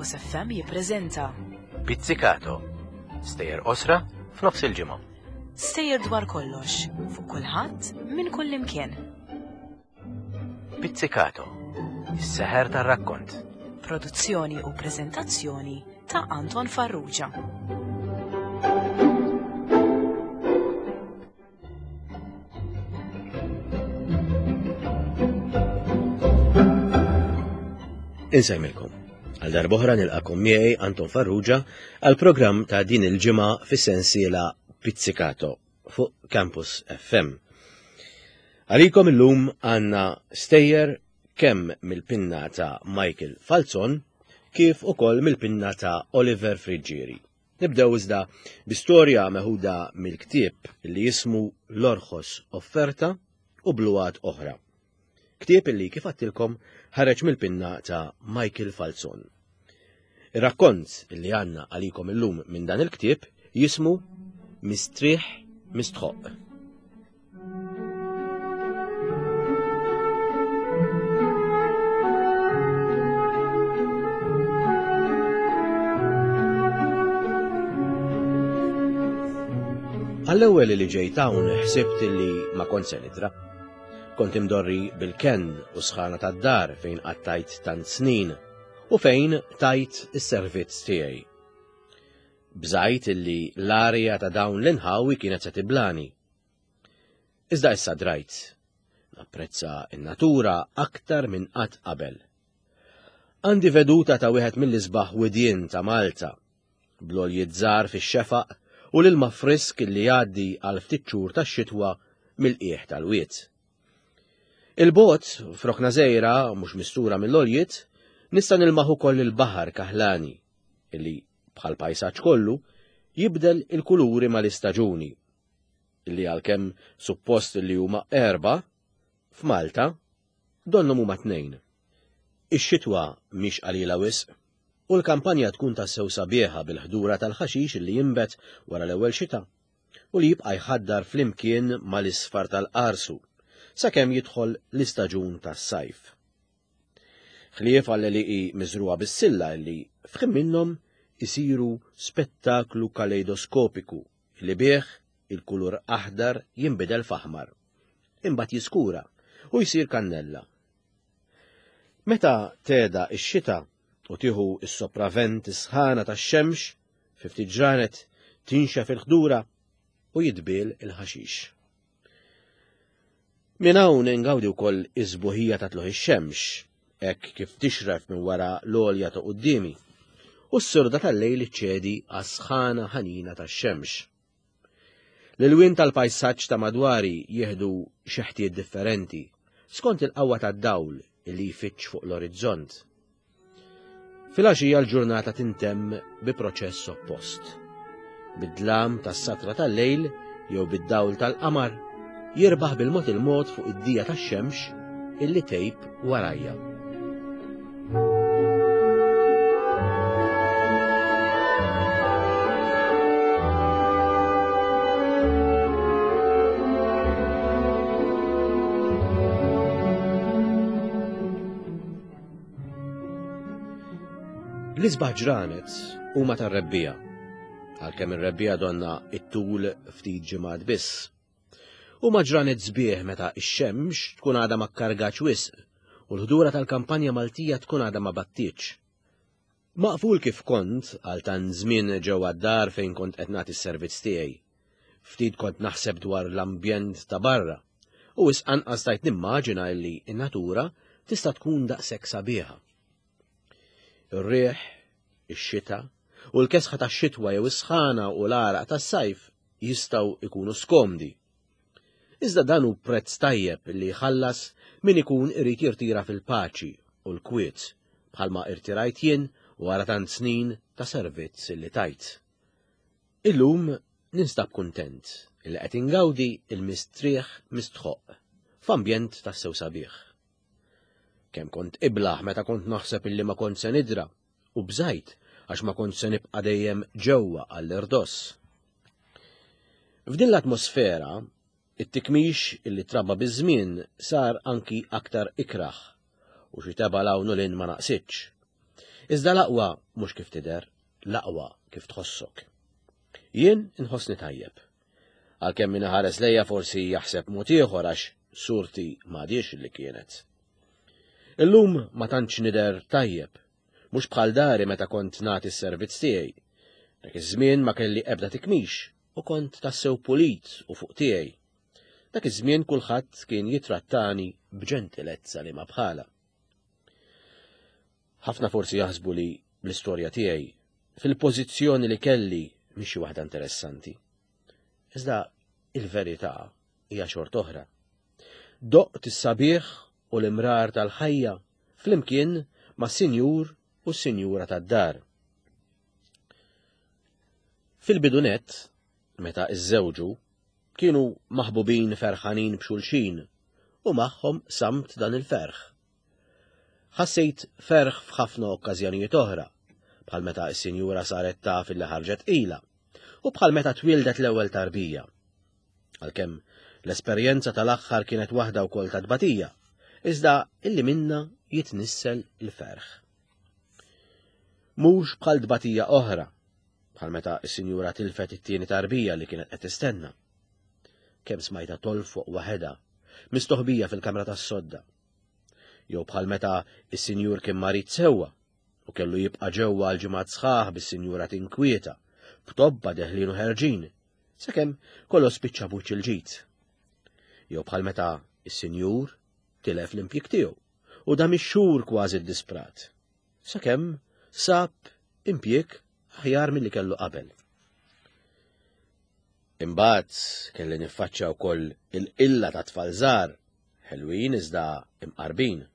Campus FM jippreżenta Pizzicato. Stejjer qosra f'nofs il-ġimgħa. Stejjer dwar kollox, fuq kulħadd, minn kull imkien. Pizzicato. Is-seħer tar-rakkont. Produzzjoni u preżentazzjoni ta' Anton Farrugia. Insemmilkom. Għal darboħra nilqakom miegħi Anton Farrugia għal programm ta' din il-ġimgħa fis-sensiela Pizzicato fuq Campus FM. Għalikom illum għandna stejjer kemm mill-pinna ta' Michael Falzon kif ukoll mill-pinna ta' Oliver Friggieri. Nibdew iżda bi storja meħuda mill-ktieb li jismu L-Orħos Offerta u Bluwat Oħra. Ktieb li kif għattilkom ħareġ mill-pinna ta' Michael Falzon. Ir-rakkont li għandna għalikom illum minn dan il-ktieb jismu Mistrieħ Mistħoqq. Għall-ewwel li ġejt hawn ħsibt li ma kont se nidra. Kont imdorri bil-kenn u sħana tad-dar fejn qattajt tant snin u fejn tajt is-servizz tiegħi. Bżajt illi l-arja ta' dawn l-inħawi kienet se tiblani. Iżda issa drajt. Napprezza n-natura aktar minn qatt qabel. Għandi veduta ta' wieħed mill-isbaħ widien ta' Malta, bl-għoljiet żgħar fix-xefaq u l-ilma frisk li jgħaddi għal ftit xhur tax-xitwa mill-qiegħ tal-wied. Il-bogħod, f'rokna żgħira mhux mistura mill-għoljiet, nista' nilmaħ ukoll il-baħar kaħlani, li, bħall-pajsaġġ kollu, jibdel il-kuluri mal-istaġuni li għalkemm suppost li huma erbgħa, f'Malta donnhom huma tnejn. Ix-xitwa mhix qalila wisq u l-kampanja tkun tassew sabiħa bil-ħdura tal-ħaxix li jinbet wara l-ewwel xita u li jibqa' jħaddar flimkien mal-isfar tal-qarsu sakemm jidħol l-istaġun tas-sajf. Ħlief għall-għelieqi miżrugħa bis-silla li f'ħin minnhom isiru spettaklu kalejdoskopiku li bih il-kulur aħdar jinbidel f'aħmar, imbagħad jiskura u jsir kannella. Meta tgħeda x-xita u tieħu s-sopravvent is-sħana tax-xemx, fi ftit ġranet tinxef il-ħdura u jitbiel il-ħaxix. Minn hawn ingawdi wkoll is-sbuħija ta' tlugħ ix-xemx, hekk kif tixref minn wara l-għolja ta' quddiemi, u s-sirda tal-lejl iċċedi għas-sħana ħanina tax-xemx. L-ilwien tal-pajsaġġ ta' madwari jieħdu xeħtiet differenti, skont il-qawwa tad-dawl li jfittx fuq l-orizzont. Filgħaxija l-ġurnata tintemm bi proċess oppost. Bid-dlam tas-satra tal-lejl jew bid-dawl tal-qamar jirbaħ bil-mod il-mod fuq id-dija tax-xemx illi tgħib warajja. L-isbaħ ġranet huma tar-rebbiegħa, għalkemm ir-rebbiegħa donna it-tul ftit ġimgħat biss. Huma ġranet sbieħ meta x-xemx tkun għadha ma kkargatx wisq u l-ħdura tal-kampanja Maltija tkun għadha ma battietx. Maqful kif kont għal tant żmien ġewwa d-dar fejn kont qed nagħti s-servizz tiegħi. Ftit kont naħseb dwar l-ambjent ta' barra u wisq anqas stajt nimmaġina illi n-natura tista' tkun daqshekk sabiħa. Ir-riħ, ix-xita, u l-kesħa tax-xitwa jew is-sħana u l-għaraq tas-sajf jistgħu jkunu skomdi. Iżda dan hu prezz tajjeb li jħallas min ikun irid jirtira fil-paċi u l-kwiet, bħalma irtirajt jien wara tant snin ta' servizz li tajt. Illum ninstab kuntent li qed ingawdi l-mistrieħ mistħoqq f'ambjent tassew sabiħ. Kemm kont iblah meta kont naħseb illi ma kont se nidra u bżajt għax ma kont se nibqa' dejjem ġewwa għall-irdoss. F'din l-atmosfera, it-tikmix illi trabba biż-żmien sar anki aktar ikrah u xi tebgħa 'l hawn u 'l hinn ma naqsitx. Iżda l-aqwa mhux kif tidher, l-aqwa kif tħossok. Jien inħossni tajjeb. Għalkemm min iħares lejja forsi jaħseb mod ieħor għax surti m'għadhiex li kienet. Illum ma tantx nidher tajjeb, mhux bħal dari meta kont nagħti s-servizz tiegħi. Dak iż-żmien ma kelli ebda tikmix u kont tassew pulit u fuq tiegħi. Dak iż-żmien kulħadd kien jitrattani b'ġentilezza li ma bħala. Ħafna forsi jaħsbu li l-istorja tiegħi fil-pożizzjoni li kelli mhix xi waħda interessanti. Iżda il-verità hija xort oħra. Doqt is-sabiħ u l-imrar tal-ħajja flimkien ma' sinjur u sinjura tad-dar. Fil-bidu nett, meta iżżewġu, kienu maħbubin ferħanin b'xulxin u magħhom samt dan il-ferħ. Ħassejt ferħ f'ħafna okkażjonijiet oħra, bħal meta s-sinjura saret taf illi ħarġet tqila, u bħal meta twieldet l-ewwel tarbija. Għalkemm l-esperjenza tal-aħħar kienet waħda wkoll ta' tbatija, iżda illi minna jitnissel il-ferħ. Mhux bħal tbatija oħra, bħal meta s-sinjura tilfet it-tieni tarbija li kienet qed tistenna. Kemm smajta tolfoq waħedha, mistoħbija fil-kamra tas-sodda. Jew bħal meta s-sinjur kien marid sewwa u kellu jibqa' ġewwa għal ġimgħat sħaħ bis-sinjura tinkwieta, b'tobba deħlin u ħerġin, sakemm kollox spiċċa b'wiċċ il-ġid. Jew bħal meta s-sinjur tilef l-impjieg tiegħu u dam ix-xhur kważi ddisprat, sakemm sab impjieg aħjar milli kellu qabel. Imbagħad kelli niffaċċja wkoll il-qilla ta' tfal żgħar, ħelwin iżda imqarbin.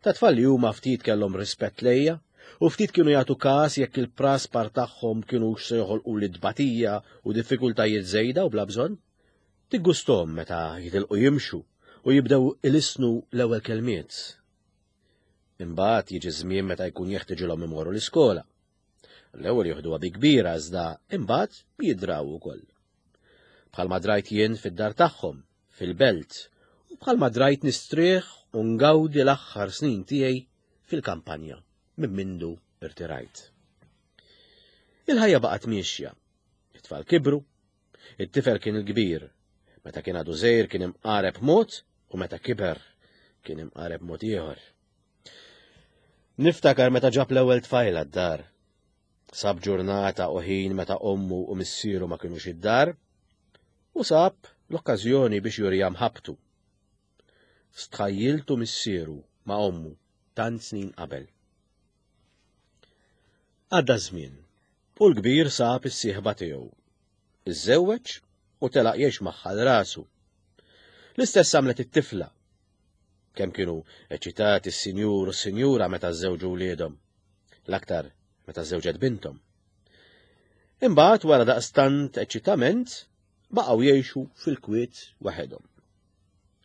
Ta' tfal li huma ftit kellhom rispett lejja u ftit kienu jagħtu każ jekk il-praspar tagħhom kinux se joħolquli tbatija u diffikultajiet żejda u bla bżonn. Tiggusthom meta jitilqu jimxu u jibdew ilissnu l-ewwel kelmiet. Imbagħad jiġi żmien meta jkun jeħtiġilhom imorru l-iskola. L-ewwel joħduha bi kbira iżda imbagħad jidraw ukoll. Bħalma drajt jien fid-dar tagħhom, fil-belt, u bħalma drajt nistrieħ u ngawdi l-aħħar snin tiegħi fil-kampanja minn mindu irtirajt. Il-ħajja baqgħet miexja. It-tfal kibru, it-tifel kien il-kbir, meta kien għadu żgħir kien imqareb mod u meta kiber kien imqareb mod ieħor. Niftakar meta ġab l-ewwel tfajla d-dar. Sab ġurnata u ħin meta ommu u missieru ma kinux id-dar u sab l-okkażjoni biex jurija mħabbtu. Stħajjiltu missieru ma' ommu tant snin qabel. Għadda żmien u l-kbir sab is-sieħba tiegħu. Iżżewweġ u telaq jgħix magħha l rasu. L-istess għamlet it-tifla Kemm kienu eċitati s-sinjur u s-sinjura meta żżewġu wliedhom. L-aktar meta żżewġet binthom. Imbagħad wara daqstant eċitament baqgħu jgħixu fil-kwiet waħedhom.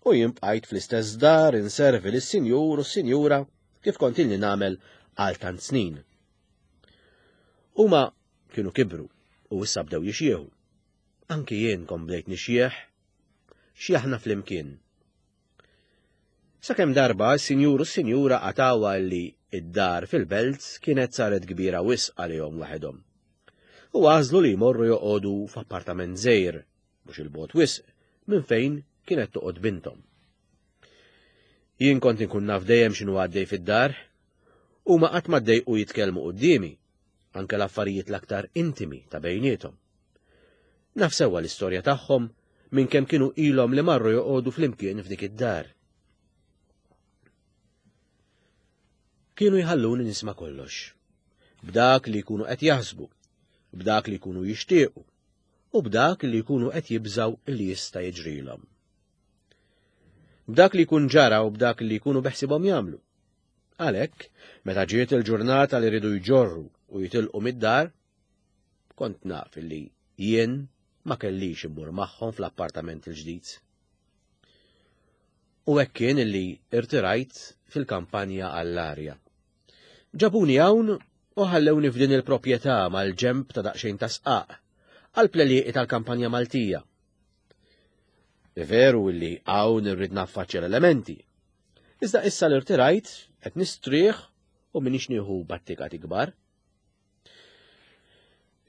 U jien bqajt fl-istess dar inservi lis-sinjur u s-sinjura kif kont ilni nagħmel għal tant snin. Huma kienu kibru u issa bdew jixjieħu. Anki jien kont bdejt nixjieħ, xjaħna flimkien. Sakemm darba s-sinjur u s-sinjura qatgħuha li d-dar fil-belt kienet saret kbira wisq għalihom waħedhom. U għażlu li jmorru joqogħdu f'appartament żgħir, mhux il-bogħod wisq minn fejn kienet toqgħod binthom. Jien kont inkun naf dejjem x'inhu għaddej fid-dar, huma qatt ma ddejqu jitkellmu quddiemi, anke l-affarijiet l-aktar intimi ta' bejniethom. Naf sewwa l-istorja tagħhom minn kemm kienu ilhom li marru joqogħdu flimkien f'dik id-dar. Kienu jħalluni nisma' kollox. B'dak li jkunu qed jaħsbu, b'dak li jkunu jixtiequ, u b'dak li jkunu qed jibżaw li jista' jiġrilhom. B'dak li jkun ġara u b'dak li jkunu beħsibhom jagħmlu. Għalhekk, meta ġiet il-ġurnata li ridu jġorru u jitilqu mid-dar, Kont naf illi jien ma kellix immur magħhom fl-appartament il-ġdid. U hekk kien illi irtirajt fil-kampanja għall-arja. Ġabuni hawn u ħallewni f'din il-proprjetà mal-ġemb ta' daqsxejn ta' sqaq għal plelieqi tal-kampanja Maltija. Veru illi hawn irrid naffaċċja l-elementi. Iżda issa l-irtirajt qed nistrieħ u minix nieħu battikati kbar.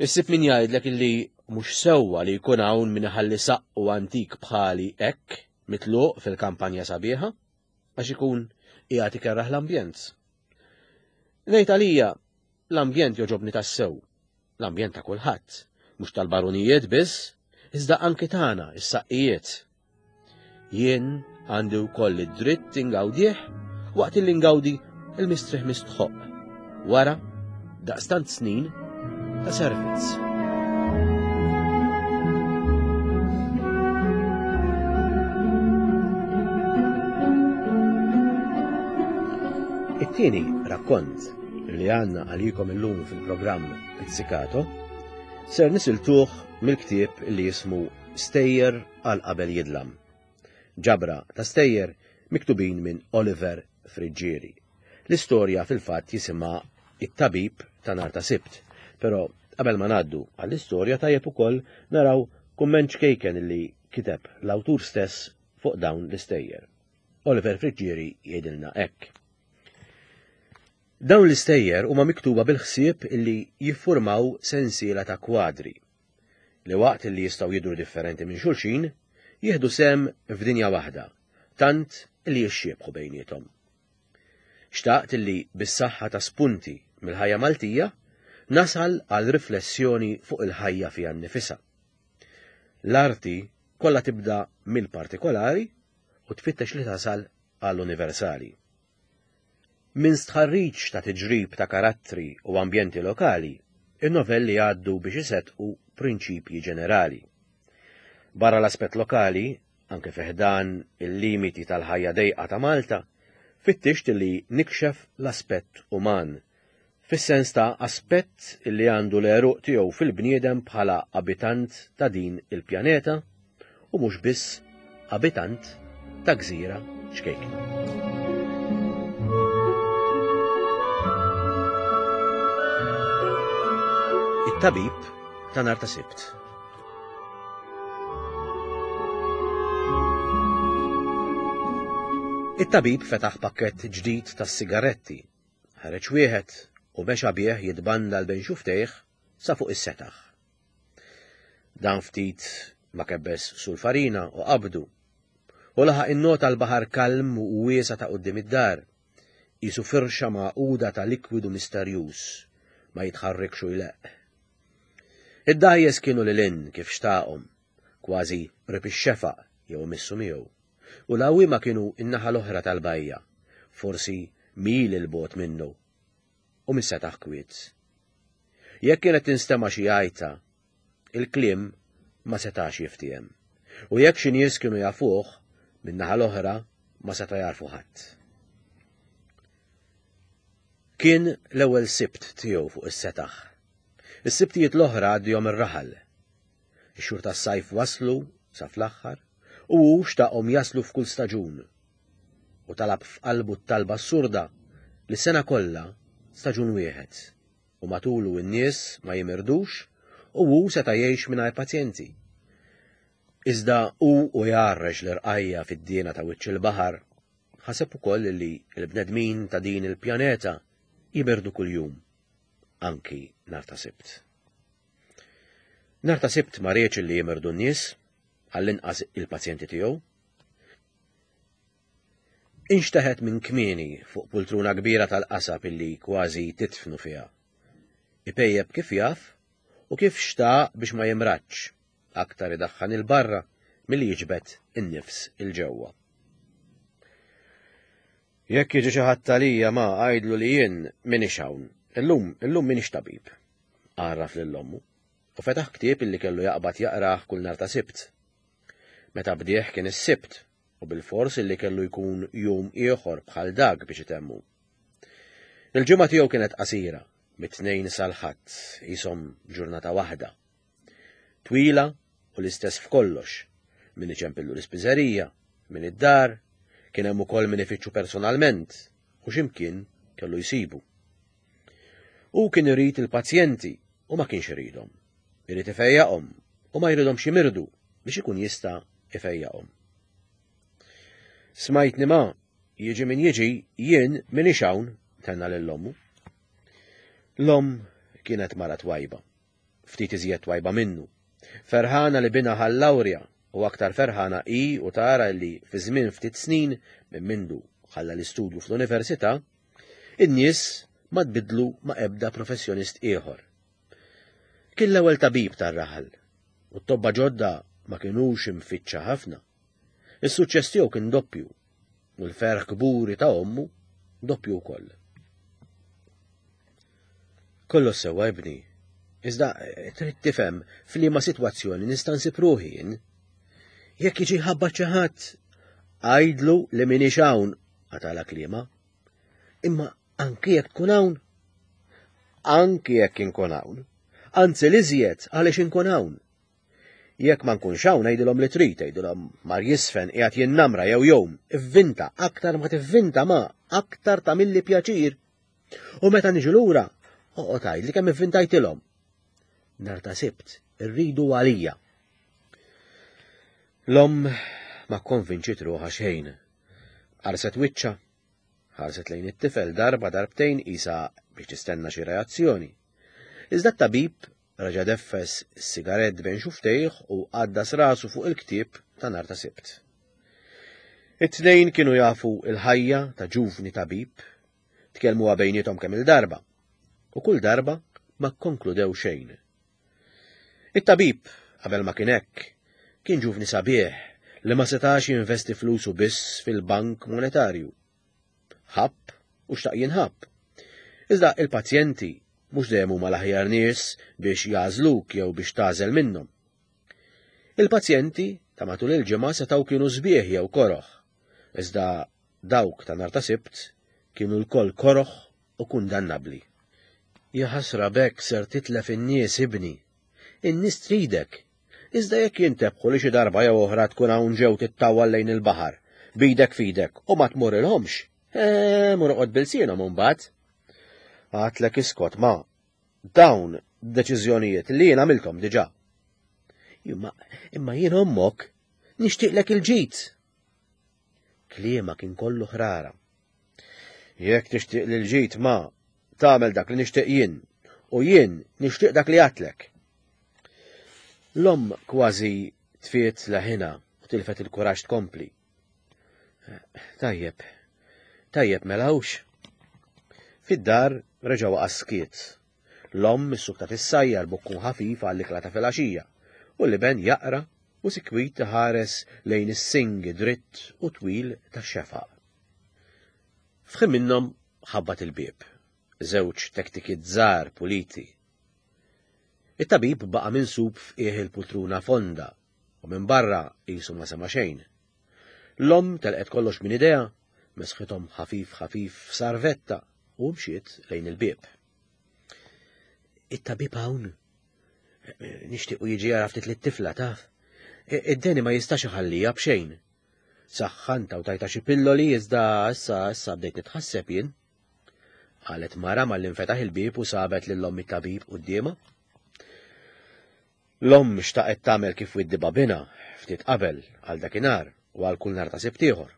Issib min jgħidlek illi mhux sewwa li jkun hawn min iħalli saqqu antik bħali hekk mitluq fil-kampanja sabiħa għax ikun qiegħed ikerraħ l-ambjent. Ngħid għalija l-ambjent joġobni tassew, l-ambjent ta' kulħadd, mhux tal-barunijiet biss, iżda anki tagħna is-saqqijiet. Jien għandi wkoll id-dritt ingawdih waqt li ngawdi il-mistrieħ mistħoq wara daqstant snin ta' servizz. It-tieni rakkont li għandna għalikom illum fil-programm Pizzicato ser nisiltuh mill-ktieb li jismu Stejjer għal qabel jidlam. Ġabra ta' stejjer miktubin minn Oliver Friggieri. L-istorja fil-fatt jisimha It-Tabib ta' nhar ta' Sibt, però qabel ma ngħaddu għall-istorja tajjeb ukoll naraw kumment ċkejken li kiteb l-awtur stess fuq dawn l-istejjer. Oliver Friggieri jgħidilna hekk. Dawn l-istejjer huma miktuba bil-ħsieb illi jiffurmaw sensiela ta' kwadri li waqt li jistgħu jidhru differenti minn xulxin, jieħdu sehem f'dinja waħda, tant li jixxiebħu bejniethom. Xtaqt li bis-saħħa ta' spunti mill-ħajja Maltija nasal għal riflessjoni fuq il-ħajja fiha nnifisha. L-arti kollha tibda mill-partikolari u tfittex li tasal għall-universali. Minn stħarriġ ta' tiġrib ta' karattri u ambjenti lokali, in-novelli jgħaddu biex iseddqu prinċipji ġenerali. Barra l-aspett lokali, anke fi ħdan il-limiti tal-ħajja dejqa ta' Malta, fittixt li nikxef l-aspett uman, fis-sens ta' aspett li għandu l-għeruq tiegħu fil-bniedem bħala abitant ta' din il-pjaneta u mhux biss abitant ta' gżira ċkejkna. It-tabib ta' nhar ta' Sibt. It-tabib fetaħ pakkett ġdid tas-sigaretti, ħareġ wieħed u mexa bih jitbandal bejn xuftejh sa fuq is-setaħ. Dan ftit ma kebbes sulfarina u qabdu. U laħaq innota l-baħar kalm u wiesa' ta' quddiem id-dar, qisu firxa magħquda ta' likwidu misterjuż, ma jitħarrikx u jleqq. Id-dgħajjes kienu lil hinn kif xtaqhom, kważi qrib ix-xefaq jew imissu miegħu, u l-għawwiema kienu n-naħa l-oħra tal-bajja, forsi mil 'il bogħod minnu u mis-setaħ kwiet. Jekk kienet tinstema' xi għajta, il-kliem ma setax jiftiehem. U jekk xi nies kienu jafuh, min-naħa l-oħra ma seta' jagħrfu ħadd. Kien l-ewwel Sibt tiegħu fuq is-setaħ. Is-Sibtijiet l-oħra għaddihom ir-raħal. Ix-xhur tas-sajf waslu sa fl-aħħar u hu xtaqhom jaslu f'kull staġun. U talab f'qalbu t-talba assurda li s-sena kollha staġun wieħed u matulu n-nies ma jimirdux u hu seta' jgħix mingħajr pazjenti. Iżda hu u jgħarrex l-irqajja fid-diena ta' wiċċ il-baħar, ħaseb ukoll li l-bnedmin ta' din il-pjaneta jimirdu kuljum, anki nhar ta' Sibt. Nhar ta' Sibt ma riedx li jimirdu n-nies, għall-inqas il-pazjenti tiegħu. Inxteħet minn kmieni fuq pultruna kbira tal-qasab illi kważi titfnu fiha. Ipejjep kif jaf u kif xtaq biex ma jimradx, aktar idaħħan 'il barra milli jiġbed in-nifs 'il ġewwa. Jekk jiġi xi ħadd għalija ma għidlu li jien m'iniex hawn. Illum, illum m'iniex tabib. Għarraf lil ommu u fetaħ ktieb illi kellu jaqbad jaqrah kull nhar ta' Sibt. Meta bdieh kien is-Sibt u bilfors illi kellu jkun jum ieħor bħal dak biex itemmu. Il-ġimgħa tiegħu kienet qasira, mit-Tnejn sal-Ħadd, qishom ġurnata waħda. Twila u l-istess f'kollox, min iċempillu l-ispiżerija, min id-dar, kien hemm ukoll min ifittxu personalment u x'imkien kellu jsibu. Hu kien irid il-pazjenti u ma kienx iridhom. Irid ifejjaqhom u ma jridhomx jimirdu biex ikun jista' ifejjaqhom. Smajtni ma, jiġi min jiġi, jien minix hawn, Tenna lil ommu. L-omm kienet mara twajba, ftit iżjed twajba minnu. Ferħana li binha ħa l-lawrja u aktar ferħana hi u tara li fi żmien ftit snin minn mindu ħalla l-istudju fl-università, in-nies ma tbiddlu ma' ebda professjonist ieħor. Kien l-ewwel tabib tar-raħal u t-tobba ġodda ma kinux imfittxa ħafna. Is-suċċess tiegħu kien doppju u l-ferħ kburi ta' ommu doppju wkoll. Kollox sewwa ibni, iżda eh, trid tifhem f'liema sitwazzjoni nista' nsib ruħi jien. Jekk jiġi ħabba xi ħadd, għidlu li m'iniex hawn, qatala kliema. Imma anki jekk tkun hawn, anki jekk inkun hawn, anzi l-iżjed għaliex inkun hawn. Jekk ma nkunx hawn għidilhom li trid, għidilhom mar jisfen qiegħed jinnamra jew jom, ivvinta aktar ma tivvinta ma aktar ta' milli pjaċir. U meta niġu lura, oqgħod għidli kemm ivvintajtilhom. Nar ta' Sibt, irridu għalija. L-omm ma kkonvinċiet ruħha xejn. Qarset wiċċha, ħarset lejn it-tifel darba darbtejn qisha biex tistenna xi reazzjoni. Iżda t-tabib reġa' deffes is-sigarett bejn xuftejh u għaddas rasu fuq il-ktieb ta' nhar ta' Sibt. It-tnejn kienu jafu il-ħajja ta' ġuvni tabib, tkellmuha bejniethom kemm il-darba, u kull darba ma kkonkludew xejn. It-tabib, qabel ma kien hekk, kien ġuvni sabiħ li ma setax jinvesti flusu biss fil-bank monetarju. Ħabb u xtaq jinħabb. Iżda il-pazjenti mhux dejjem huma l-aħjar nies biex jagħżluk jew biex tagħżel minnhom. Il-pazjenti ta' matul il-ġimgħa setgħu kienu sbieħ jew koroh, iżda dawk ta' nhar ta' Sibt kienu lkoll koroh u kundannabbli. Jaħasra b'hekk ser titlef in-nies ibni. In-nies tridek. Iżda jekk jintebħu li xi darba jew oħra tkun hawn ġew tittawwal lejn il-baħar, b'idek f'idek u ma tmurrilhomx, eh, mur oqgħod b'ilsienhom imbagħad. Għadtlek iskot ma. Dawn deċiżjonijiet li jien għamilthom diġà. Imma, imma jien ommok nixtieqlek il-ġid. Kliema kien kollu ħrara. Jekk tixtieq li l-ġid ma tagħmel dak li nixtieq jien u jien nixtieq dak li għatlek. L-omm kważi tfiet leħinha u tilfet il-kuraġġ tkompli. Tajjeb, tajjeb mela hux. Fid-dar reġa' waqa' skiet. L-omm issuktat issajjar bukkun ħafif għall-ikla ta' filgħaxija u l-iben jaqra u sikwit iħares lejn is-singi dritt u twil tax-xefaq. F'ħin minnhom ħabbat il-bieb. Żewġ tektikiet żgħar puliti. It-tabib baqa' minsub f'qiegħ il-pultruna fonda u minn barra qisu ma sema' xejn. L-omm telqet kollox minn idejha, mesħithom ħafif ħafif f'sarvetta u mxiet lejn il-bieb. It-tabib hawn. Nixtiequ jiġi jara ftit lit-tifla taf. Id-deni ma jistax iħallija b'xejn. Saħħanta u tajta xi pilloli iżda issa issa bdejt nitħasseb jien. Qalet mara malli nfetaħ il-bieb u sabet lil omm it-tabib quddiemha. L-omm xtaqet tagħmel kif widdibha binha ftit qabel għal dakinhar u għal kull nhar ta' Sibt ieħor.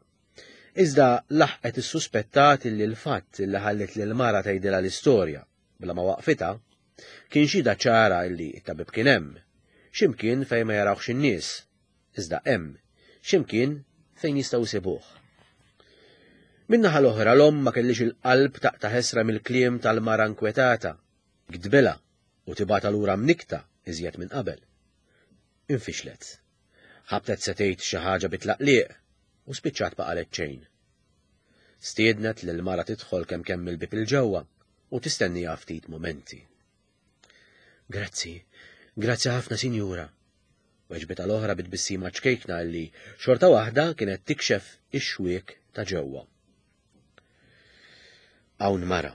Iżda laħqet issuspettat illi l-fatt illi ħalliet lill-mara tgħidilha l-istorja bla ma waqfitha kien xhieda ċara illi t-tabib kien hemm, xi mkien fejn ma jarawhx in-nies, iżda hemm, xi mkien fejn jistgħu jsibuh. Min-naħa l-oħra l-omm ma kellhiex il-qalb taqta' ħesra mill-kliem tal-mara nkwetata, gdbilha u tibgħatha lura mnikkta iżjed minn qabel. Infixlet. Ħabtet se tgħid xi ħaġa bi tlaqliq u spiċċat ma qalet xejn. Stiednet lill-mara tidħol kemm kemm mill-bieb 'il ġewwa u tistenniha ftit mumenti. Grazzi, grazzi ħafna sinjura, weġbitha l-oħra bi tbissima ċkejkna li xorta waħda kienet tikxef ix-xwiek ta' ġewwa. Hawn mara,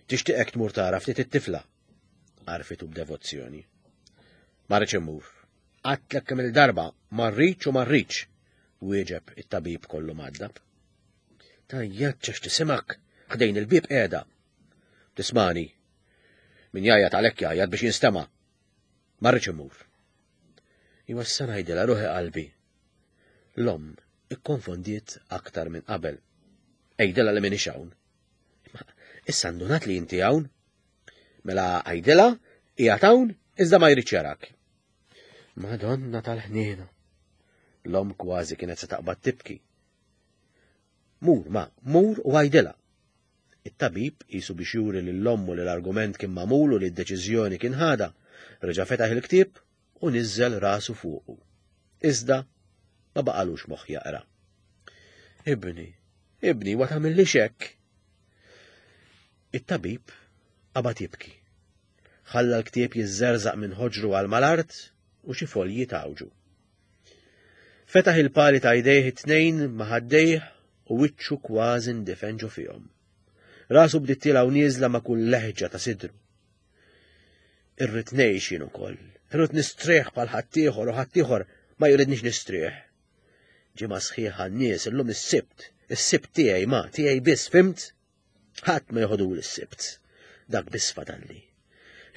tixtieqek tmur tara ftit it-tifla, għarfitu b'devozzjoni. Ma rridx immur. Għadtlek kemm il-darba ma rridx u ma rridx, wieġeb it-tabib kollu mgħaddab. Tajjat għax tisimak, ħdejn il-bieb qiegħda. Tismani. Min jgħajjat għalhekk jgħajjat biex jinstema'. Ma rridx immur. Iwa issa ngħidilha ruħi qalbi. L-omm ikkonfondiet aktar minn qabel. Għidilha li m'iniex hawn. Issa ndunat li inti hawn. Mela għajdilha, qiegħed hawn, iżda ma jridx jarak. Madonna tal-ħniena. L-omm kważi kienet se taqbad tibki. Mur, ma, mur u għajdilha. It-tabib, qisu biex juri lil ommu li l-argument kien magħmul u li d-deċiżjoni kien ħadha, reġa' fetaħ il-ktieb u niżżel rasu fuqu. Iżda ma baqalux moħħ jaqra. Ibni, ibni, wa tagħmillix hekk. It-tabib qabad jibki. Ħalla l-ktieb jiżżerżaq minn ħoġru għal mal-art u xi folji tgħawġu. Fetaħ il-pali ta' jdejh it-tnejn ma' ħaddejh u wiċċu kważi ndifen ġo fihom. Rasu bdiet tielgħa u nieżla ma' kull leħġa ta' sidru. Irrid ngħix jien ukoll. Irrid nistrieħ bħal ħaddieħor u ħaddieħor ma jridnix nistrieħ. Ġimgħa sħiħa n-nies illum is-Sibt. Is-Sibt tiegħi ma tiegħi biss, fimt? Ħadd ma joħoduli s-Sibt. Dak biss fadalli.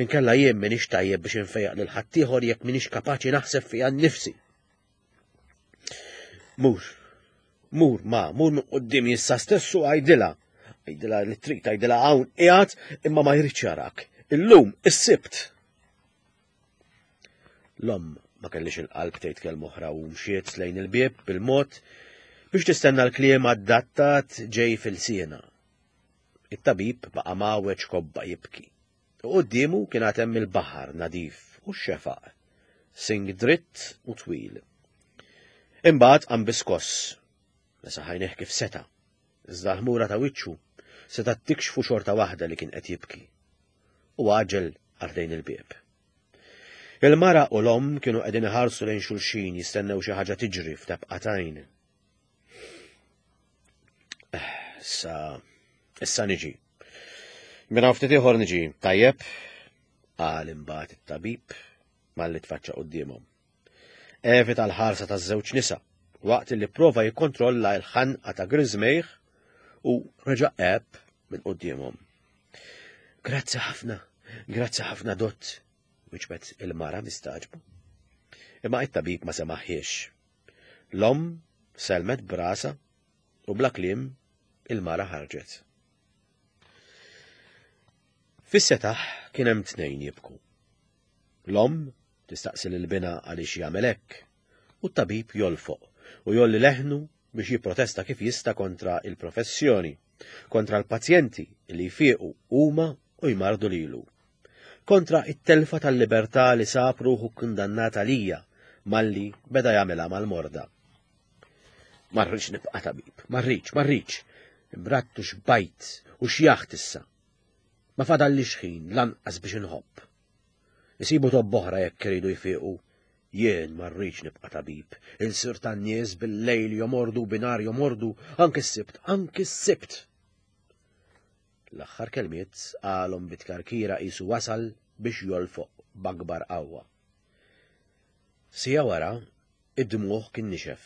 Inkella jien m'iniex tajjeb biex infejjaq lil ħaddieħor jekk m'iniex kapaċi naħseb fija nnifsi. Mur, mur ma, mur minn quddiemi issa stess u għajdilha. Għajdilha li trid għajdilha hawn qiegħed imma ma jridx jarak. Illum is-Sibt. L-omm ma kellix il-qalb tgħid kelma oħra u mxiet lejn il-bieb bil-mod biex tistenna l-kliem adattat ġej fil-siena. It-tabib baqa' mgħawweġ kobba jibki. U quddiemu kien għad hemm il-baħar nadif u x-xefaq, sing dritt u twil. Imbagħad qam bi skoss, mesaħ għajnejh kif seta', iżda l-ħmura ta' wiċċu setgħet tikxfu xorta waħda li kien qed jibki. U għaġġel għal ħdejn il-bieb. Il-mara u l-omm kienu qegħdin iħarsu lejn xulxin jistennew xi ħaġa tiġri f'tebqa t'għajn. Issa, issa niġi. Minn hawn ftit ieħor niġi, tajjeb, qal imbagħad it-tabib malli tfaċċa quddiemhom. Evita l-ħarsa taż-żewġ nisa waqt li prova jikkontrolla l-ħanqa ta' griżmejh u reġa' għeb minn quddiemhom. Grazzi ħafna, grazzi ħafna dott, wiġbet il-mara mistagħġba. Imma it-tabib ma semaħħiex. L-omm selmet brasa u bla kliem il-mara ħarġet. Fis-setaħ kien hemm tnejn jibku. L-omm tistaqsi lil binha għaliex jagħmel hekk, u t-tabib jolfoq u jgħolli leħnu biex jipprotesta kif jista' kontra il-professjoni, kontra l-pazjenti li jfiequ huma u jmardu lilu. Kontra it-telfa tal-libertà li sab ruħu kundannat għalija malli beda jagħmilha mal-morda. Ma rridx nibqa' tabib, ma rridx, ma rridx. Imrattu xbajt u xjaħt issa. Ma fadallix ħin lanqas biex inħobb. Isibu tobba oħra jekk iridu jfiequ. Jien ma rridx nibqa' tabib. Ilsir tan-nies bil-lejl jomordu u binhar jomordu, anki s-Sibt, anki s-Sibt. L-aħħar kelmiet qalhom bi tkarkira qisu wasal biex jolfoq b'akbar qawwa. Siegħa wara, id-dmugħ kien nixef,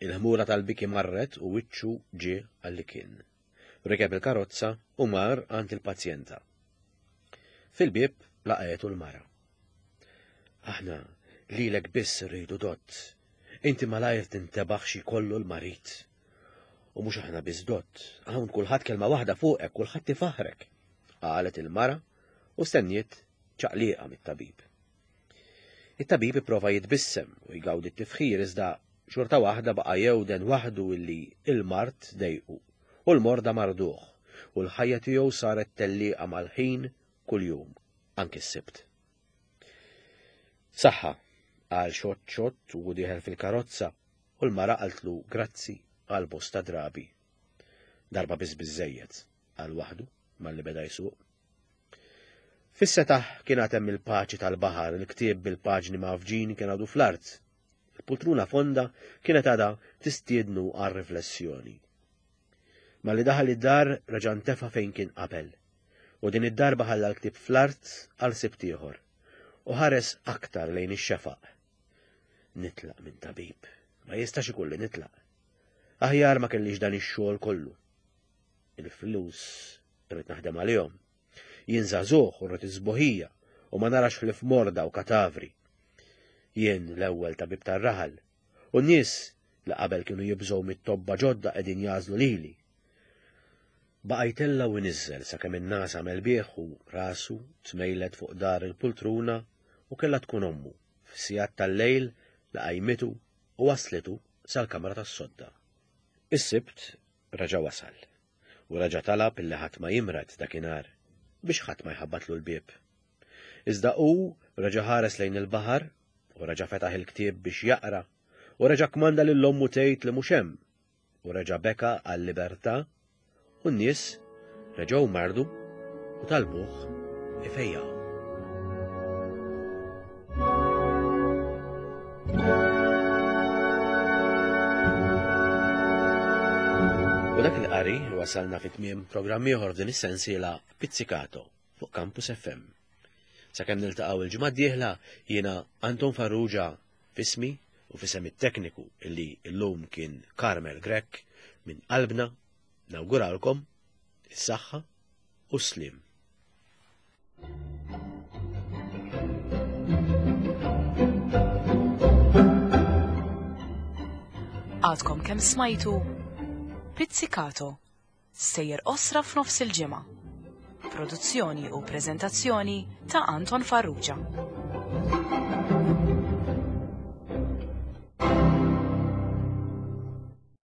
il-ħmura tal-biki marret u wiċċu ġie għal li kien. Rikeb il-karozza u mar għand il-pazjenta. Fil-bieb laqgħetu l-mara. Aħna lilek biss irridu dott. Inti malajr tintebaħ xi kollu l-marid. U mhux aħna biss dott, hawn kulħadd kelma waħda fuqek, kulħadd ifaħrek. Qalet il-mara u stenniet ċaqliqa mit-tabib. It-tabib ipprova jitbissem u jgawdi t-tifħir iżda xorta waħda baqa' jewden waħdu illi il-mard dejqu u l-morda marduh u l-ħajja tiegħu saret tellieqa mal-ħin kuljum, anki s-Sibt. Saħħa, qal xott xott u dieħel fil-karozza u l-mara qaltlu grazzi għal bosta drabi. Darba biss biżżejjed, qal waħdu malli beda jsuq. Fis-setaħ kien għad hemm il-paċi tal-baħar, il-ktieb bil-paġni mgħaffġin kien għadu fl-art. Il-pultruna fonda kienet għadha tistiednu għar-riflessjoni. Malli daħal id-dar reġa' ntefa' fejn kien qabel, u din id-darba ħalla l-ktieb fl-art għal Sibt ieħor, u ħares aktar lejn ix-xefaq. Nitlaq minn tabib, ma jistax ikun li nitlaq. Aħjar ma kellix dan ix-xogħol kollu. Il-flus irrid naħdem għalihom. Jien żagħżugħ u rrid is-sbuħija u ma narax ħlief morda u katavri. Jien l-ewwel tabib tar-raħal u n-nies li qabel kienu jibżgħu mit-tobba ġodda qegħdin jagħżlu lili. Baqa' jtella' u jniżżel sakemm in-ngħas għamel bih u rasu tmejlet fuq dar il-pultruna u kellha tkun ommu fis-sigħat tal-lejl li qajmitu u wasslitu sal-kamra tas-sodda. Is-Sibt reġa' wasal u reġa' talab illi ħadd ma jimrad dakinhar biex ħadd ma jħabbatlu l-bieb. Iżda hu reġa' ħares lejn il-baħar u reġa' fetaħ il-ktieb biex jaqra u reġa' kkmanda lil ommu tgħid li mhux hemm u reġa' beka għal-libertà u n-nies reġgħu mardu u talbuh ifejjaqhom. U dak il-qari wasalna fi tmiem programm ieħor f'din is-sensiela Pizzicato fuq Campus FM. Sakemm niltaqgħu il-ġimgħa d-dieħla jiena Anton Farrugia F'ismi u f'isem it-tekniku illi llum kien Carmel Grech minn qalbna nawguralkom is-saħħa u s-sliem. Għadkom kemm smajtu Pizzicato Stejjer qosra f'nofs il-ġimgħa. Produzzjoni u preżentazzjoni ta' Anton Farrugia.